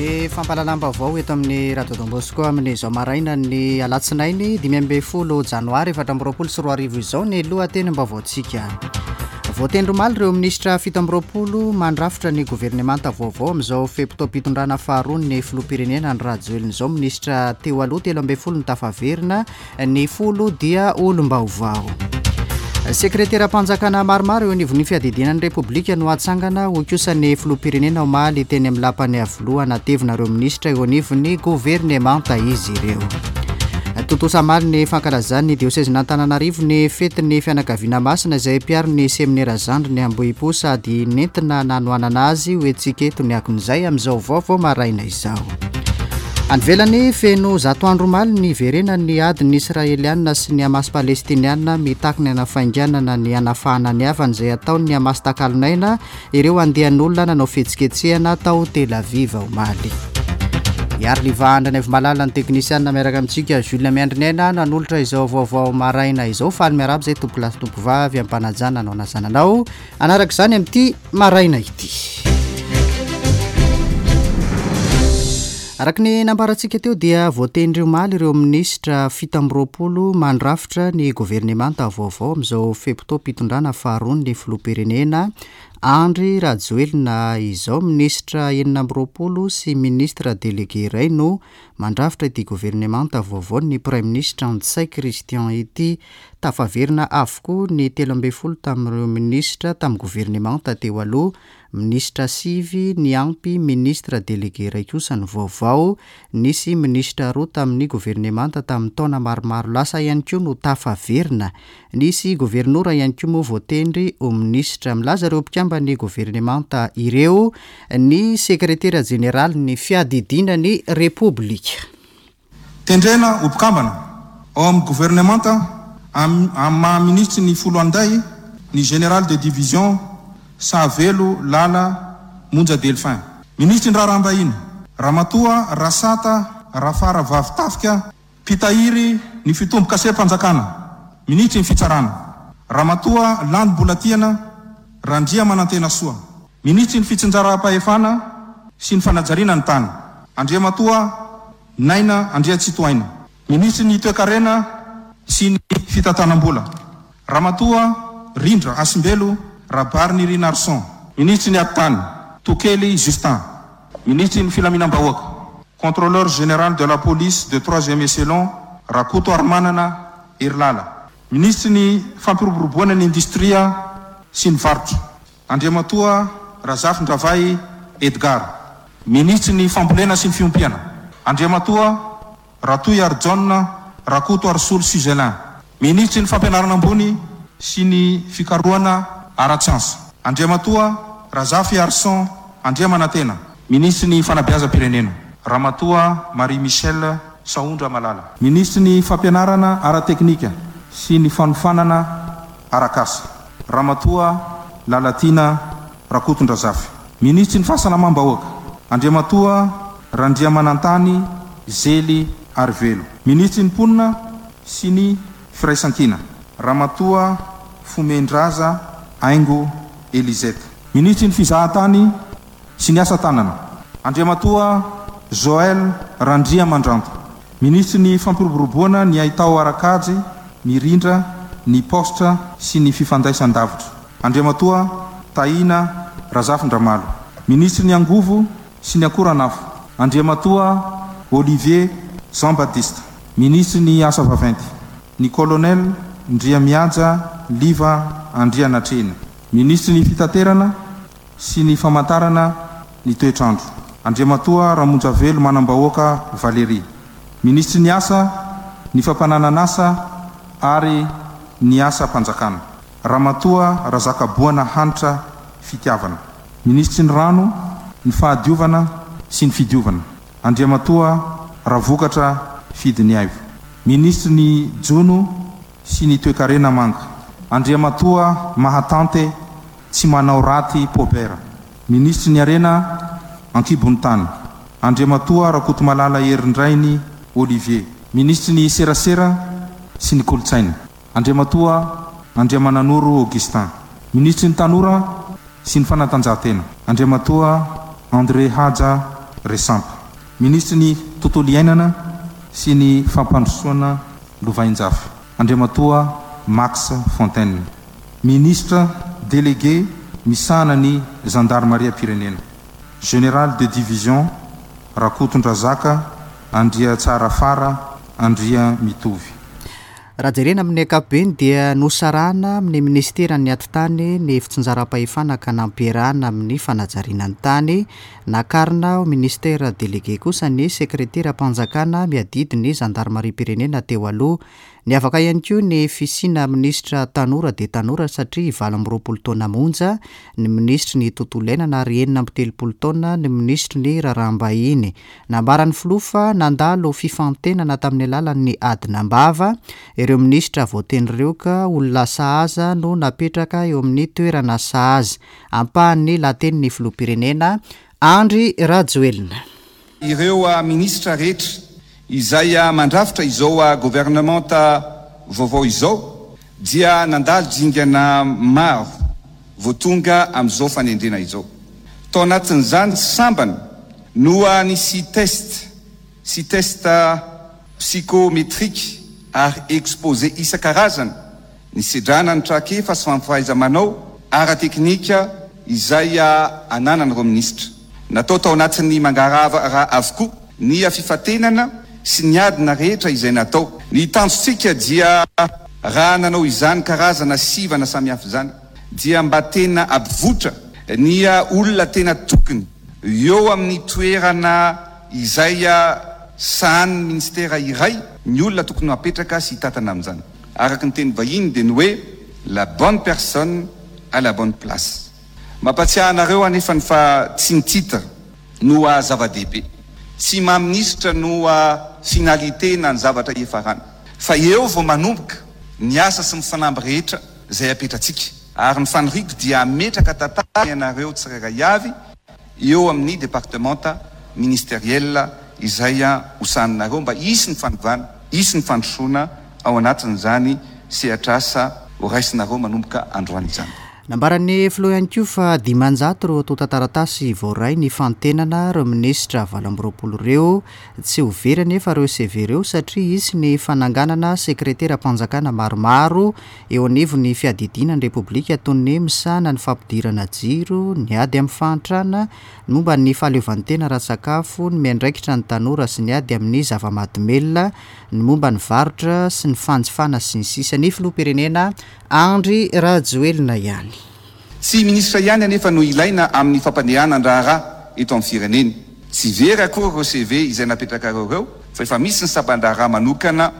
Ny fampahalalam-baovao eto amin'ny Radio Don Bosco amin'izao maraina ny alatsinainy 15 janoary 2024 izao ny lohatenim-baovaontsika. Voatendry omaly ireo minisitra 27 mandrafitra ny governemanta vaovao amin'izao fe-potoam-pitondrana faharoa ny filoham-pirenena Andry Rajoelina izao. Minisitra teo aloha 13 no tafaverina Ny folo dia olom-baovao. Sekreteram-panjakana maromaro eo anivon'ny fiadidiana ny Repoblika no hatsangana, hoy kosa ny filoham-pirenena omaly teny amin'ny lapan'i Iavoloha hanatevina ireo minisitra eo anivon'ny governemanta izy ireo. Tontosa omaly ny fankalazan'ny diosezin'Antananarivo ny fetin'ny fianakaviana masina izay mpiaro ny seminera zandriny Ambohipo sady nentina nanohanana azy ho hetsika eto ny akon'izay amin'izao vaovao maraina izao. Any ivelany, feno zato andro omaly ny niverenan'ny adin'ny Israeliana sy ny Hamas Palestiniana mitaky ny hanafainganana ny hanafahana ny havany izay ataon'ny Hamas takalon'aina ireo andian'olona nanao fihetsiketsehana tao Tel Aviv omaly. Iariliva Andrianaivomalala ny teknisianina miaraka amintsika Jules Miandriniaina nanolotra izao vaovao maraina izao. Faly miarahaba izay tompokolahy sy tompovavy am-panajana anao na zananao. Hanaraka izany amin'ity maraina ity. Araka ny nambarantsika teo dia voatendry omaly ireo minisitra 27 mandrafitra ny governemanta vaovao amin'izao fe-potoam-pitondrana faharoan'ny filoham-pirenena Andry Rajoelina izao. Minisitra 26 sy ministra délégué iray no mandrafitra ity governemanta vaovaon'ny praiminisitra Ntsay Christian ity. Tafaverina avokoa ny 13 tamin'ireo minisitra tamin'ny governemanta teo aloha, minisitra sivy niampy ministra delege iray kosa ny vaovao, nisy minisitra roa tamin'ny governemanta tamin'ny taona maromaro lasa ihany koa no tafaverina, nisy governora ihany koa moa voatendry ho minisitra. Milaza ireo mpikamban'ny governemanta ireo ny sekretera jeneralin'ny fiadidiana ny Repoblika. Tendrena ho mpikambana ao amin'ny governemanta amin'ny maha minisitry ny Foloalindahy ny Général de Division Sahavelo Lala Monja Delphin. Minisitry ny Raharaham-bahiny, Ramatoa Rasata Rafaravavitafika, Mpitahiry ny fitombokasem-panjakana, Minisitry ny Fitsarana, Ramatoa Landy Mbolatiana Randriamanantenasoa. Minisitry ny Fitsinjaram-pahefana sy ny Fanajariana ny tany, Andriamatoa Naina Andriantsitohaina. Minisitry ny Toekarena sy ny Fitantanam-bola, Ramatoa Rindra Hasimbelo Rabarinirinarison. Minisitry ny Atitany, Tokely Justin. Minisitry ny Filaminam-bahoaka, Contrôleur Général de la Police de Troisième Echelon, Rakotoarimanana Herilala. Minisitry ny Fampiroboroboana ny Indostria sy ny Varotra, Andriamatoa Razafindravahy Edgard. Minisitry ny Fambolena sy ny Fiompiana, Andriamatoa Ratohiarijaona Rakotoarisolo Suzelin. Minisitry ny Fampianarana Ambony sy ny Fikarohana ara-tsiansa, Andriamatoa Razafiarison Andriamanantena. Minisitry ny Fanabeazam-pirenena, Ramatoa Marie Michelle Sahondramalala. Minisitry ny Fampianarana ara-teknika sy ny Fanofanana arak'asa, Ramatoa Lalatiana Rakotondrazafy. Minisitry ny Fahasalamam-bahoaka, Andriamatoa Randriamanantany Zely Arivelo. Minisitry ny Mponina sy ny Firaisankina, Ramatoa Fomendraza Haingo Elisette. Minisitry ny Fizahantany sy ny Asa tanana, Andriamatoa Joël Randriamandranto. Minisitry ny Fampiroboroboana ny haitao ara-kajy mirindra, ny paositra sy ny fifandraisan-davitra, Andriamatoa Tahina Razafindramalo. Minisitry ny Angovo sy ny Akoranafo, Andriamatoa Olivier Jean Baptiste. Minisitry ny Asa vaventy, ny Colonel Ndriamihaja Liva Andrianatrehina. Minisitry ny Fitaterana sy ny famantarana ny toetr'andro, Andriamatoa Ramonjavelo Manambahoaka Valérie, Minisitry ny Asa, ny Fampananan'asa ary ny Asam-panjakana, Ramatoa Razakaboana Hanitra Fitiavana, Minisitry ny Rano, ny Fahadiovana sy ny Fidiovana, Andriamatoa Ravokatra Fidiniaivo, Minisitry ny Jono sy ny Toekarena Manga, Andriamatoa Mahatante Tsy manao raty Paubert. Minisitry ny Harena an-kibon'ny tany, Andriamatoa Rakotomalala Herindrainy Olivier. Minisitry ny Serasera sy ny Kolontsaina, Andriamatoa Andriamananoro Augustin. Minisitry ny Tanora sy ny Fanatanjahantena, Andriamatoa André Haja. Resampa. Minisitry ny Tontolo iainana sy ny Fampandrosoana Lovainjafy, Andriamatoa Max Fontaine. Minisitra Délégué misahana ny Zandarimariam-pirenena, Général de Division Rakotondrazaka Andriatsarafara Andriamitovy. Raha jerena amin'ny ankapobeny dia nosarahana amin'ny minisiteran'ny Atitany ny fitsinjaram-pahefana ka nampiarahana amin'ny fanajariana ny tany. Nakarina ho minisitera delege kosa ny sekreteram-panjakana miadidy ny zandarimariam-pirenena teo aloha. Niavaka ihany koa ny fisiana minisitra tanora dia tanora satria 28 taona monja ny minisitry ny tontolo iainana ary 36 taona ny minisitry ny raharaham-bahiny. Nambaran'ny filoha fa nandalo fifantenana tamin'ny alalan'ny adina am-bava ireo minisitra voatendry ireo ka olona sahaza no napetraka eo amin'ny toerana sahaza. Ampahan'ny lahatenin'ny filoham-pirenena Andry Rajoelina. Ireo minisitra rehetra izay mandrafitra izao governemanta vaovao izao dia nandalo dingana maro vao tonga amin'izao fanendrena izao. Tao anatin'izany tsy sambany no nisy test sy test psychométrique ary exposé isan-karazany nisedrana ny traikefa sy fahaiza-manao ara-teknika izay ananan'ireo minisitra. Natao tao anatin'ny mangarahara avokoa ny fifantenana sy ny adina rehetra izay natao. Ny tanjontsika dia raha nanao izany karazana sivana samihafa izany dia mba tena hampivoitra ny olona tena tokony eo amin'ny toerana izay sahanin'ny minisitera iray ny olona tokony ho apetraka sy hitantana amin'izany. Araka ny teny vahiny dia ny hoe la bonne personne à la bonne place. Mampatsiahy anareo anefa ny fa tsy ny titre no zava-dehibe, tsy maha minisitra no finalité na ny zavatra hiafarana, fa eo vao manomboka ny asa sy ny fanamby rehetra izay apetratsika, ary ny faniriako dia hametraka tantara ianareo tsirairay avy eo amin'ny departemanta ministeriel izay hosahaninareo mba hisy ny fanovana, hisy ny fandrosoana ao anatin'izany sehatr'asa horaisinareo manomboka androany izany. Nambaran'ny filoha ihany koa fa 500 ireo antontan-taratasy voaray nifantenana ireo minisitra 28 ireo. Tsy ho very anefa ireo CV ireo satria hisy ny fananganana sekreteram-panjakana maromaro eo anivon'ny fiadidiana ny Repoblika toy ny misahana ny fampidirana jiro, ny ady amin'ny fahantrana, ny momba ny fahaleovantena ara-tsakafo, ny miandraikitra ny tanora sy ny ady amin'ny zava-mahadomelina, ny momba ny varotra sy ny fanjifana sy ny sisa Ny filoham-pirenena Andry Rajoelina ihany. Tsy minisitra ihany anefa no ilaina amin'ny fampandehanan-draharaha eto amin'ny firenena. Tsy very akory ireo CV izay napetrakareo ireo fa efa misy ny sampan-draharaha manokana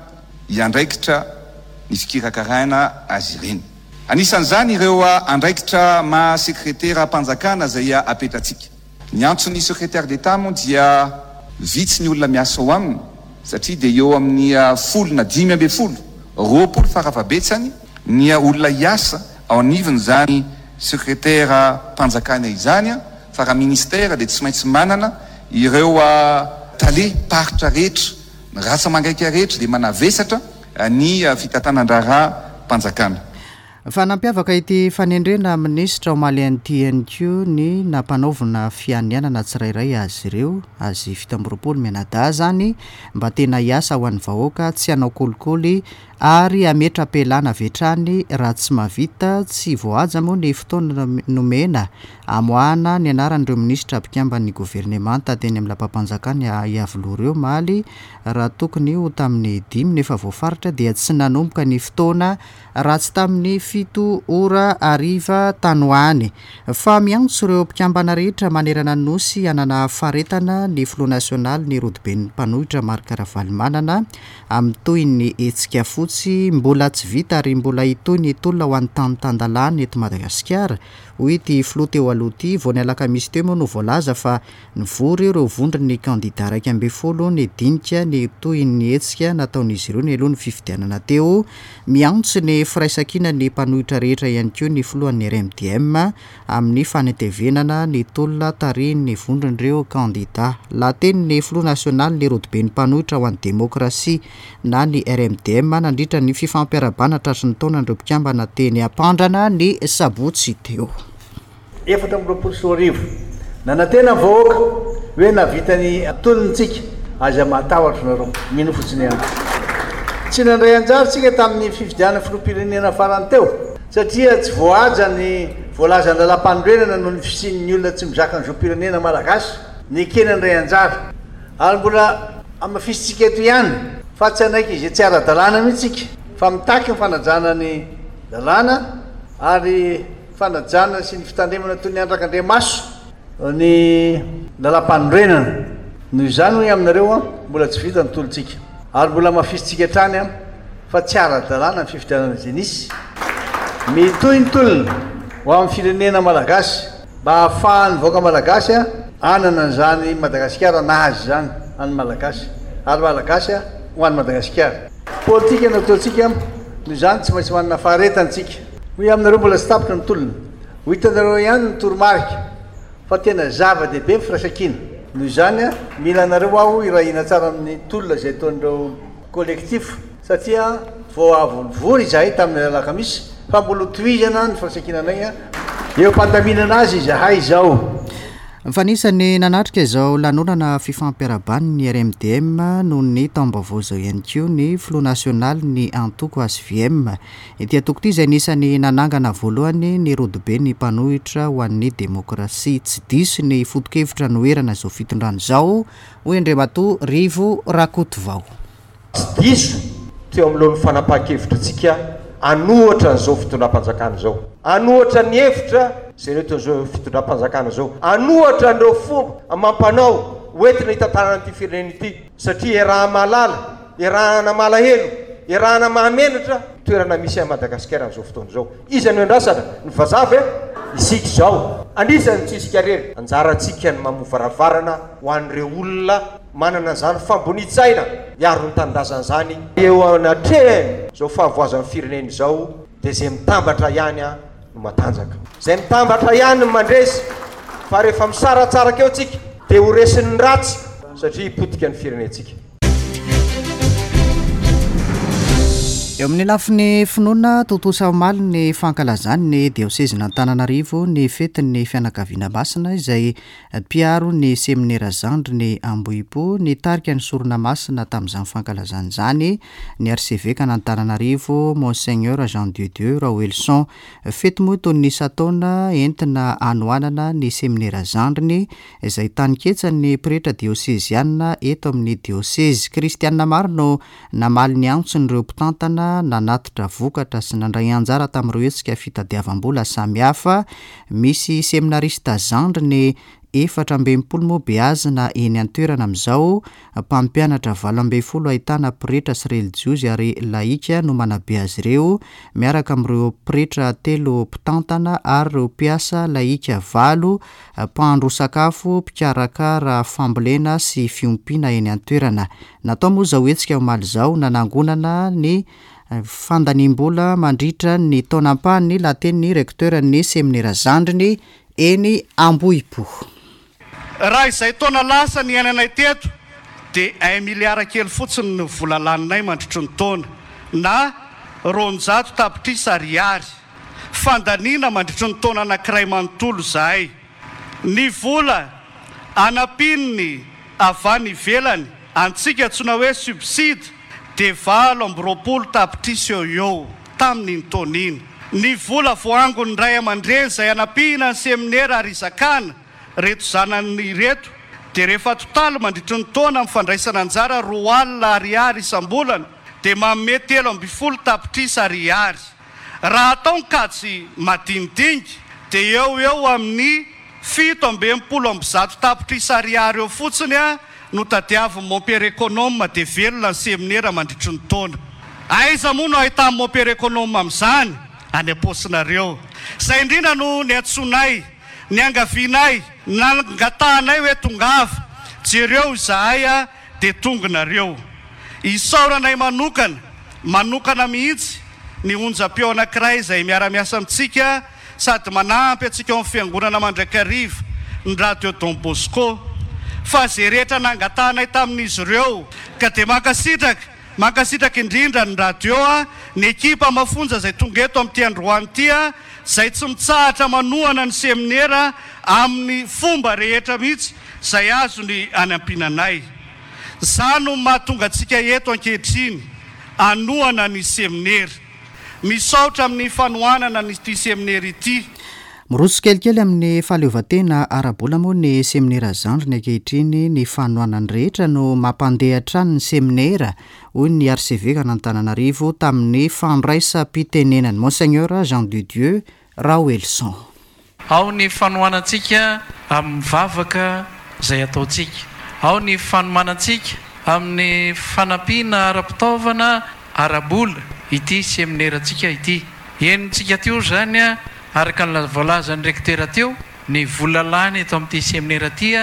hiandraikitra ny fikirakaraina azy ireny. Anisan'izany ireo andraikitra maha sekreteram-panjakana izay apetratsika. Ny antson'ny secrétaire d'Etat moa dia vitsy ny olona miasa ao aminy satria dia eo amin'ny folo na 15, 20 farafahabetsany ny olona hiasa ao anivon'izany sekreteram-panjakana izany fa raha ministère dia tsy maintsy manana ireo tale paritra rehetra, ny ratsa-mangaika rehetra dia manavesatra ny fitantanan-draharaham-panjakana. Fa nampiavaka ity fanendrena minisitra omaly ity ihany koa ny nampanaovina fianianana tsirairay azy ireo, azy 27 mianadahy izany, mba tena hiasa ho an'ny vahoaka, tsy hanao kolikoly ary hametra-pialana avy hatrany raha tsy mahavita, tsy voahaja moa ny fotoana nomena hamoahana ny anaran'ireo minisitra mpikamban'ny governemanta teny amin'ny lapam-panjakana Iavoloha ireo omaly raha tokony ho tamin'ny dimy no efa voafaritra dia tsy nanomboka ny fotoana raha tsy tamin'ny fito ora hariva tany ho any. Fa miantso ireo mpikambana rehetra manerana ny Nosy hanana faharetana ny filoha nasionaly ny rodoben'ny mpanohitra Marc Ravalomanana amin'ny tohin'ny hetsika fotsy mbola tsy vita ary mbola hitohy ny tolona ho an'ny tany tan-dalàna eto Madagasikara, hoy ity filoha teo aloha ity. Vao ny alakamisy teo moa no voalaza fa Nivory ireo vondron'ny kandida 11 nidinika ny tohin'ny hetsika nataon'izy ireo nialoha ny fifidianana teo. Miantso ny firaisankina ny mpanohitra rehetra ihany koa ny filohan'ny RMDM amin'ny fanitevenana ny tolona tarihin'ny vondron'ireo kandida. Lahatenin'ny filoha nasionalin'ny rodoben'ny mpanohitra ho an'ny demokrasia na ny RMDM nandritra ny fifampiarahabana tratry ny taonan'ireo mpikambana teny Ampandrana ny sabotsy teo. 2024. Nanantena ny vahoaka. Hoe nahavita ny tolona tsika, aza matahotra nareo, mino fotsiny ihany. Tsy nandray anjara tsika tamin'ny fifidianana filoham-pirenena farany teo, satria tsy voahaja ny voalazan'ny lalàmpanorenana noho ny fisian'ny olona tsy mizaka ny zom-pirenena malagasy nekena handray anjara. Ary mbola hamafisintsika eto ihany fa tsy hanaiky izay tsy ara-dalàna mihitsy tsika, fa mitaky ny fanajana ny lalàna ary fanajana sy ny fitandremana toy ny andrak'Andriamaso. Ny lalàmpanorenana. Noho izany hoy aminareo aho, mbola tsy vita ny tolontsika. Ary mbola hamafisintsika hatrany aho fa tsy ara-dalàna ny fifidianana izay nisy. Mitohy ny tolona ho amin'ny firenena malagasy mba hahafahan'ny vahoaka malagasy hanana an'izany Madagasikara nahazo izany an'ny Malagasy ary Malagasy ho an'i Madagasikara. Politika no ataontsika, noho izany tsy maintsy manana faharetana isika. Hoy aho aminareo mbola tsy tapitra ny tolona. Ho hitanareo ihany ny toromarika fa tena zava-dehibe ny firaisankina. Noho izany, mila anareo aho hiray hina tsara amin'ny tolona izay ataon'ireo collectif satria vao avy nivory izahay tamin'ny alakamisy fa mbola ho tohizana ny firaisankinanay. Eo am-pandaminana azy izahay izao. Fa anisan'ny nanatrika izao lanonana fifampiarahaban'ny RMDM noho ny taom-baovao izao ihany koa ny filoha nasionalin'ny antoko HVM. Ity antoko ity izay anisan'ny nanangana voalohany ny rodoben'ny mpanohitra ho an'ny demokrasia. Tsy diso ny foto-kevitra anoherana izao fitondrana izao, hoy Andriamatoa Rivo Rakotovao. Tsy diso teo anoloan'ny fanapahan-kevitritsika hanohatra an'izao fitondram-panjakana izao, hanohatra ny hevitra izay nentin'izao fitondram-panjakana izao, hanohatra an'ireo fomba amam-panao hoentina hitantanana an'ity firenena ity, satria iaraha-mahalala Iarahana malahelo, iarahana mahamenatra toerana misy an'i Madagasikara amin'izao fotoana izao. Iza no iandrasana? Ny vazaha ve? Isika izao. An'iza no tsy isika irery? Anjarantsika ny mamoha varavarana ho an'ireo olona manana an'izany fambonian-tsaina hiaro ny tanindrazana izany eo anatrehan'izao fahavoazan'ny firenena izao dia izay mitambatra ihany no matanjaka. Izay mitambatra ihany no mandresy fa rehefa misaratsaraka eo tsika dia ho resin'ny ratsy satria hipotika ny firenentsika. Eo amin'ny lafiny finoana, tontosa omaly ny fankalazan'ny diosezin'Antananarivo ny fetin'ny fianakaviana masina izay mpiaro ny seminera zandriny Ambohipo. Nitarika ny sorona masina tamin'izany fankalazana izany ny arsevekan'Antananarivo Monseigneur Jean de Dieu Raoelison. Fety moa toy ny isan-taona entina hanohanana ny seminera zandriny izay taninketsan'ny pretra dioseziana eto amin'ny diosezy. Kristiana maro no namaly ny antson'ireo mpitantana, nanatitra vokatra sy nandray anjara tamin'ireo hetsika fitadiavam-bola samihafa. Misy seminarista zandriny 64 moa beazina eny an-toerana amin'izao. Mpampianatra 18 ahitana pretra sy relijiozy ary lahika no manabe azy ireo, miaraka amin'ireo pretra telo mpitantana ary ireo mpiasa lahika valo mpahandro sakafo, mpikarakara fambolena sy fiompiana eny an-toerana. Natao moa izao hetsika omaly izao nanangonana ny fandaniam-bola mandritra ny taona ampahany lahatenin'ny Recteur-n'ny seminera zandriny eny Ambohipo. Raha izay taona lasa niainanay teto dia un milliard kely fotsiny ny vola laninay mandritry ny taona na 200 tapitrisa ariary. Fandaniana mandritry ny taona anankiray manontolo izahay. Ny vola anampian'ny avy any ivelany antsika antsoina hoe subside dia 28 tapitrisa eo ho eo tamin'iny taona iny. Ny vola voaangon'ny ray aman-dreny izay anampiana ny seminera ary izakana ireto zanany ireto dia rehefa atotaly mandritry ny taona amin'ny fandraisana anjara 20 ariary isam-bolana dia manome 13 tapitrisa ariary. Raha atao ny kajy madinidinika dia eo ho eo amin'ny 167 tapitrisa ariary eo fotsiny no tadiavin'i Mompera Econome dia velona ny seminera mandritry ny taona. Aiza moa no ahitan'i Mompera Econome amin'izany? Any am-paosinareo. Izay indrindra no niantsoanay, niangavianay, nangatahanay hoe tongava, jereo izahay dia tonga nareo. Isaoranay manokana, manokana mihitsy ny onjam-peo anankiray izay miara-miasa amintsika sady manampy antsika ao amin'ny Fiangonana mandrakariva, ny Radio Don Bosco. Fa izay rehetra nangatahanay tamin'izy ireo. Ka dia mankasitraka, mankasitraka indrindra ny Radio, ny ekipa mafonja izay tonga eto amin'ity androany ity, izay tsy mitsahatra manohana ny seminera amin'ny fomba rehetra mihitsy. izay azony anampiana anay. Izany no mahatonga antsika eto ankehitriny hanohana ny seminera. Misaotra amin'ny fanohanana an'ity seminera ity. Miroso tsikelikely amin'ny fahaleovantena ara-bola moa ny seminera zandriny ankehitriny. Ny fanohanan'ny rehetra no mampandeha hatrany ny seminera, hoy ny arsevekan'Antananarivo tamin'ny fandraisam-pitenenany, Monseigneur Jean de Dieu Raoelison. Ao ny fanohanantsika amin'ny vavaka izay ataontsika. Ao ny fanomanantsika amin'ny fanampiana ara-pitaovana, ara-bola ity seminerantsika ity. Henontsika teo izany, araka ny voalazan'ny Rektera teo, ny vola lany eto amin'ity seminera ity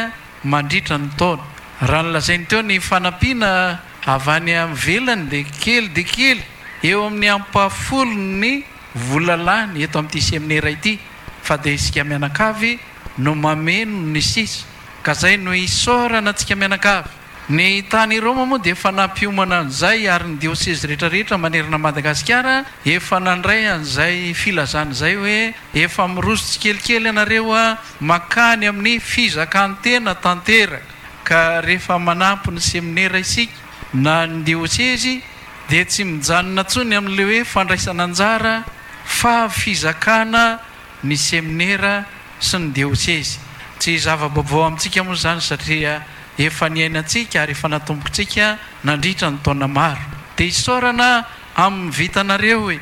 mandritra ny taona. Raha ny lazainy teo ny fanampiana avy any ivelany dia kely dia kely, eo amin'ny ampahafolon'ny vola lany eto amin'ity seminera ity fa dia isika mianakavy no mameno ny sisa ka zay no isaorana antsika mianakavy. Ny tany Roma moa dia efa nampiomana an'izay ary ny diosezy rehetra rehetra manerana an'i Madagasikara efa nandray an'izay filazana izay hoe efa miroso tsikelikely ianareo mankany amin'ny fizakan-tena tanteraka ka rehefa manampy ny seminera isika na ny diosezy dia tsy mijanona intsony amin'ilay hoe fandraisana anjara fa fizakana ny seminera sy ny diosezy. Tsy zava-baovao amintsika moa izany satria efa niainantsika ary efa natombokintsika nandritra ny taona maro. Dia isaorana amin'ny vitanareo e!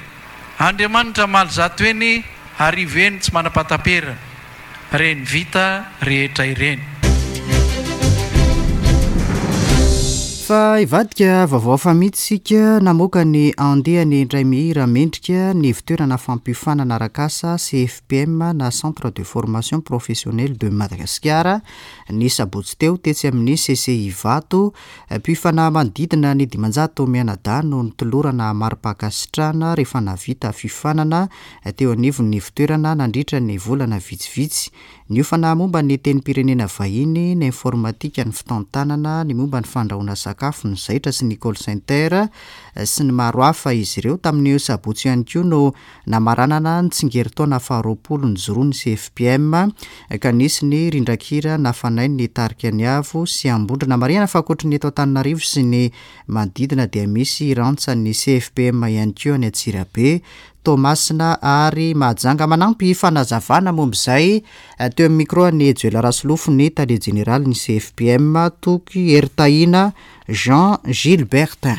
Andriamanitra hamaly eny arivo eny tsy manam-pahataperana. Ireny vita rehetra ireny. Fa hivadika vaovao hafa mihitsy isika, namoaka ny andiany indray mihira mendrika ny ivontoerana fampiofanana arak'asa CFPM na Centre de Formation Professionnelle de Madagascar ny sabotsy teo tetsy amin'ny CCI Ivato. Mpiofana manodidina ny 500 mianadahy no notolorana mari-pankasitrahana rehefa nahavita fiofanana teo anivon'ny ivontoerana nandritra ny volana vitsivitsy. Niofana momba ny tenim-pirenena vahiny, ny informatika, ny fitantanana, ny momba ny fandrahoana sakafo, ny zaitra sy ny call center, sy ny maro hafa izy ireo. Tamin'io sabotsy io ihany koa no namaranana ny tsingerin-taona faharoapolo nijoroan'ny CFPM, ka nisy ny rindran-kira nafanain'ny tarika Ny Avo sy Ambondrona. Marihana fa ankoatry ny eto Antananarivo sy ny manodidina dia misy rantsan'ny CFPM ihany koa any Antsirabe, Toamasina ary Mahajanga. Manampy fanazavana momba izay teo amin'ny micro an'i Joel Rasolofo ny tale jeneralin'ny CFPM, Toky Heritahiana Jean Gilbertin.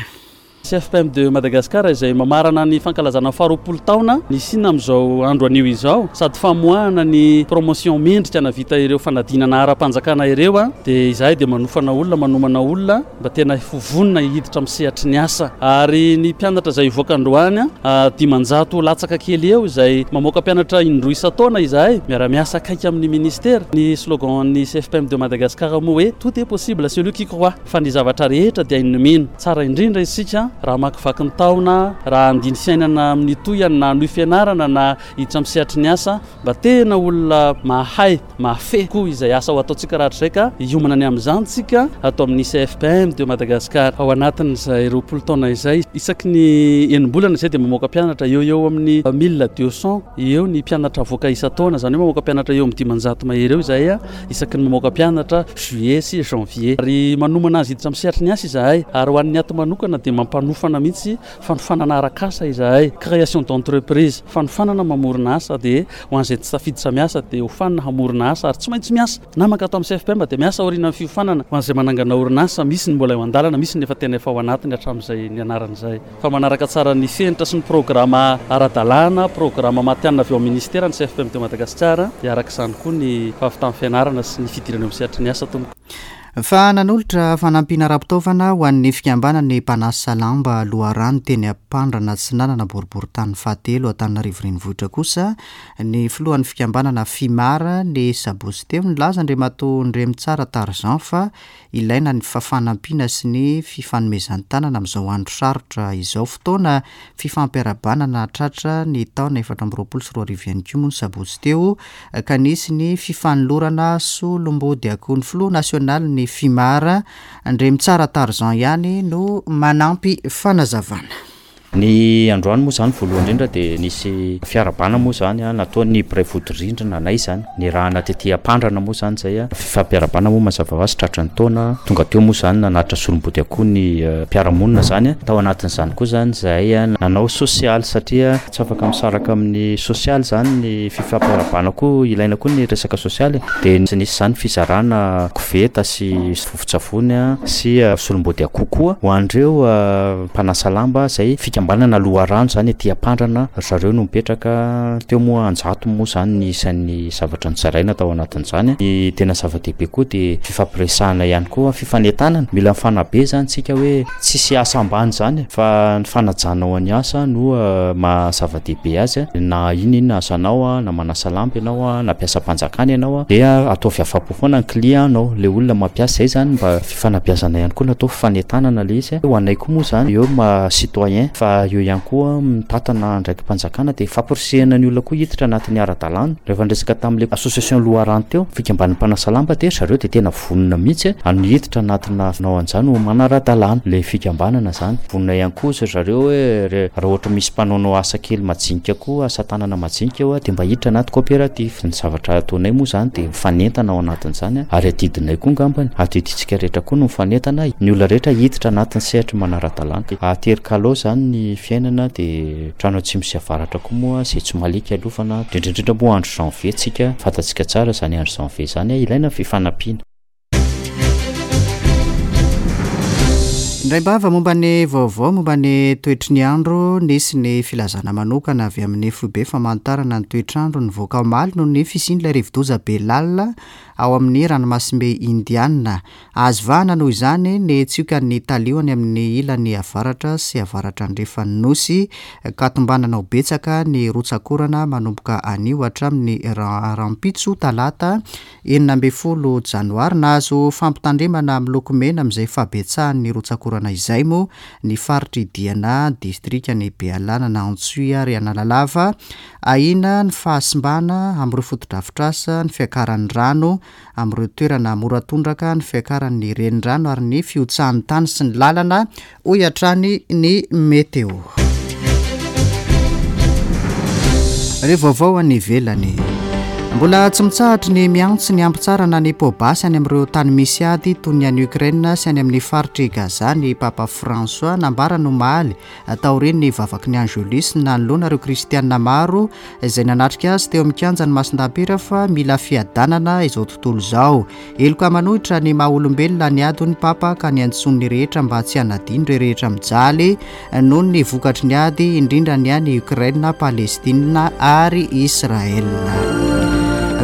CFPM de Madagascar izay mamarana ny fankalazana faharoapolo taona nisiana amin'izao andro anio izao sady famoahana ny promotion mendrika navita ireo fanadinana ara-panjakana ireo dia izahay dia manofana olona manomana olona Mba tena ho vonona hiditra amin'ny sehatry ny asa. Ary ny mpianatra izay hivoaka androany, 500 latsaka kely eo izay mamoaka mpianatra indroa isan-taona izahay, miara-miasa akaiky amin'ny ministera. Ny slogan-n'ny CFPM de Madagascar moa hoe tout est possible à celui qui croit, fa ny zavatra rehetra dia hain'ny mino. Tsara indrindra isika raha hamakivaky ny taona, raha handia ny fiainana amin'ny tohiny na hanohy fianarana na hiditra amin'ny sehatry ny asa, mba tena olona mahay. Mahafehy koa izay asa ho ataontsika rahatrizay ka hiomana ny amin'izany tsika ato amin'ny CFPM de Madagascar. Ao anatin'izay 20 taona izay, isaky ny enim-bolana izay dia mamoaka mpianatra eo eo amin'ny 1200 eo ny mpianatra avoaka isan-taona, izany hoe mamoaka mpianatra eo amin'ny 500 mahery eo izahay isaky ny mamoaka mpianatra juillet sy janvier. Ary manomana azy hiditra amin'ny sehatry ny asa izahay ary ho an'ny ato manokana dia mampanofana mihitsy fanofanana arak'asa izahay, création d'entreprise, fanofanana mamorona asa dia Ho an'izay tsy tafiditra miasa dia hofanina hamorona asa ary tsy maintsy miasa. Na mankato amin'ny CFPM dia miasa aorianan'ny fiofanana. Ho an'izay manangana orinasa, misy ny mbola eo an-dalana, misy ny efa tena efa ao anatiny hatramin'izay nianarana izay. Fa manaraka tsara ny fenitra sy ny programa ara-dalàna, programa matihanina avy ao amin'ny minisitera ny CFPM de Madagasikara dia araka izany koa ny fahavitan'ny fianarana sy ny fidirana eo amin'ny sehatry ny asa tompoko. Fa nanolotra fanampiana ara-pitaovana ho an'ny fikambanan'ny mpanasa lamba loharano teny Ampandrana Atsinanana boriborintany fahatelo Antananarivo Renivohitra kosa ny filohan'ny fikambanana Fimar ny sabotsy teo. Nilaza Andriamatoa Ndremitsara Tarzan fa ilaina ny fanampiana sy ny fifanomezan-tanana amin'izao andro sarotra izao. Fotoana fifampiarahabana nahatratra ny taona 2024 ihany koa moa ny sabotsy teo ka nisy ny fifanolorana solombody akoho. Ny filoha nasionalin'ny Fimar, Andriamitsara Tarzan ihany no manampy fanazavana. Ny androany moa izany voalohany indrindra dia nisy fiarahabana moa izany nataon'ny mpiray vodirindrina anay izany, nirahana tety Ampandrana moa izany izay, fifampiarahabana moa mazava ho azy tratry ny taona, tonga teo moa izany nanatitra solombody akoho ny mpiara-monina izany, tao anatin'izany koa izany izahay nanao sosialy satria tsy afaka misaraka amin'ny sosialy izany ny fifampiarahabana koa ilaina koa ny resaka sosialy dia nisy izany fizarana koveta sy vovon-tsavony sy solombody akoho koa ho an'ireo mpanasa lamba izay fikambanana loharano izany aty Ampandrana ry zareo no mipetraka teo moa an-jatony moa izany ny isan'ny zavatra nozaraina tao anatin'izany. Ny tena zava-dehibe koa dia fifampiresahana ihany koa, fifanentanana, mila mifanabe izany tsika hoe tsisy asa ambany izany fa ny fanajanao ny asa no maha zava-dehibe azy na inona inona asanao na manasa lamba ianao na mpiasam-panjakana ianao dia ataovy afa-po foana ny client nao, ilay olona mampiasa, izay izany mba Fanabeazana ihany koa natao fanentanana ilay izy. Ho anay koa moa izany eo maha citoyen fa eo ihany koa mitantana andraiki-panjakana dia famporisihana ny olona koa hiditra anatin'ny ara-dalàna. Rehefa niresaka tamin'ilay association Loharano teo, fikambanan'ny mpanasa lamba dia ry zareo dia tena vonona mihitsy ny hiditra anatina hanao an'izany ho manara-dalàna ilay fikambanana izany. Vonona ihany koa ry zareo hoe raha ohatra misy mpanaonao asa kely majinika koa, asa tanana majinika eo dia mba hiditra anaty coopérative. Ny zavatra ataonay moa izany dia mifanentana ao anatin'izany ary adidinay koa angambany, adidintsika rehetra koa no mifanentana, ny olona rehetra hiditra anatin'ny sehatry ny manara-dalàna. Atery kalao izany ny fiainana dia trano atsimo sy avaratra koa moa izay tsy maliaka alofana, indrindra indrindra moa andro janvier tsika, fantatsika tsara izany andro janvier izany, ilaina ny fifanampiana. Indraim-bava momba ny vaovao momba ny toetry ny andro, nisy ny filazana manokana avy amin'ny foibe famantarana ny toetr'andro nivoaka omaly noho ny fisian'ilay rivodoza be lalina ao amin'ny ranomasimbe Indiana. Azo vahana noho izany ny tsiokan'ny talio any amin'ny ilany avaratra sy avaratra andrefan'ny Nosy ka tombanana ho betsaka ny rotsak'orana manomboka anio hatramin'ny rahampitso talata 16 janoary, nahazo fampitandremana miloko mena amin'izay fahabetsahan'ny rotsak'orana izay moa ny faritr'i Diana, distrikan'i Bealanana, Antsohihy ary Analalava. Ahiana ny fahasimbana amin'ireo fotodrafitrasa, ny fiakaran'ny rano amin'ireo toerana mora tondraka, ny fiakaran'ny renirano ary ny fihotsahan'ny tany sy ny lalana hoy hatrany ny Météo. Ireo vaovao any ivelany. Mbola tsy mitsahatry ny miantso ny hampitsarana ny poa-basy any amin'ireo tany misy ady toy ny any Ukraine sy any amin'ny faritr'i Gaza ny Papa François. Nambarany omaly taorian'ny vavaky ny Angelus nanoloana ireo kristiana maro izay nanatrika azy teo amin'ny kianjan'i Masindahy-Piera fa mila fiadanana izao tontolo izao. Heloka manohitra ny maha olombelona ny ady hoy ny Papa ka niantsoany ny rehetra mba tsy hanadino ireo rehetra mijaly noho ny vokatry ny ady indrindra ny any Ukraine, Palestine ary Israël.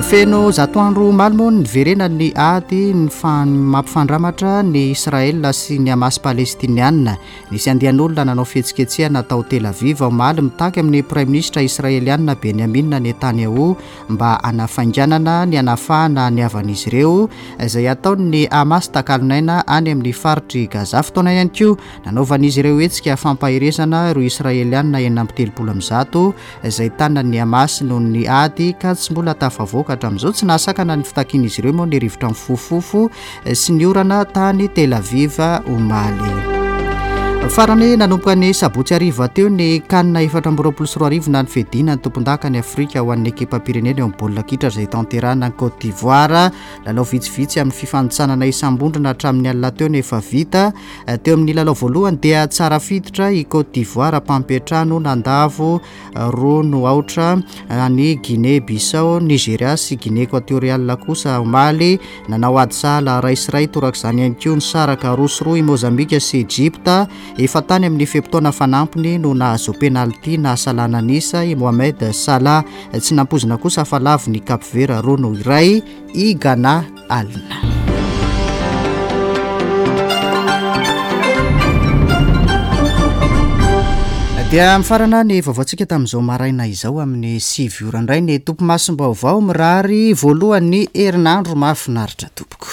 Feno zato andro omaly moa ny niverenan'ny ady mampifandramatra ny Israël sy ny Hamas palestiniana. Nisy andian'olona nanao fihetsiketsehana tao Tel Aviv omaly mitaky amin'ny Praiminisitra israelianina Benjamin Netanyahu mba hanafainganana ny hanafahana ny havan'izy ireo izay ataon'ny Hamas takalon'aina any amin'ny faritr'i Gaza. Fotoana ihany koa nanaovan'izy ireo hetsika fampaherezana ireo Israelianina 136 izay tanan'ny Hamas noho ny ady ka tsy mbola tafavoaka hatramin'izao. Tsy nahasakana ny fitakian'izy ireo moa ny rivotra mifofofofo sy ny orana tany Tel Aviv omaly. Farany, nanomboka ny sabotsy hariva teo ny Can 2024 na ny fiadiana ny tompondakan'i Afrika ho an'ny ekipam-pirenena eo amin'ny baolina kitra izay tanterahina any Côte d'Ivoire. Lalao vitsivitsy amin'ny fifanintsanana isam-bondrona hatramin'ny alina teo no efa vita. Teo amin'ny lalao voalohany dia tsara fiditra i Côte d'Ivoire mpampiantrano nandavo roa no aotra any Guinée Bissau, Nigeria sy Guinée Equatoriale kosa omaly nanao ady sahala iray sy iray torak'izany ihany koa nisaraka 2 sy 2 i Mozambika sy Egypta. Efa tany amin'ny fe-potoana fanampiny no nahazo penalty nahasalana an'isa i Mohamed Salah. Tsy nampoizina kosa fa lavo ny Cap Vert 2-1 i Ghana alina. Dia mifarana ny vaovaontsika tamin'izao maraina izao amin'ny 9 ora indray ny tompomasom-baovao mirary voalohan'ny herinandro mahafinaritra tompoko.